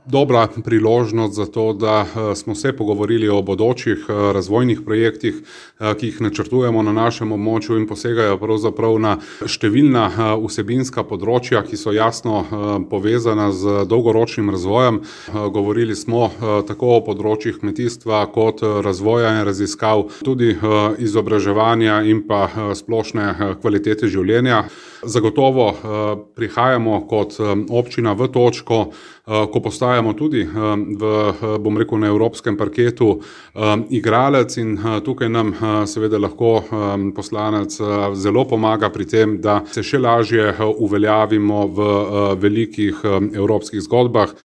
dobra priložnost za to, da smo se pogovorili o bodočih razvojnih projektih, ki jih načrtujemo na našem območju in posegajo pravzaprav na številna vsebinska področja, ki so jasno povezana z dolgoročnim razvojem. Govorili smo tako o področjih kmetijstva kot razvoja in raziskav, tudi izobraževanja in pa splošne kvalitete življenja. Zagotovo prihajamo kot občina v točko, ko postajamo tudi na evropskem parketu igralec in tukaj nam seveda lahko poslanec zelo pomaga pri tem, da se še lažje uveljavimo v velikih evropskih zgodbah.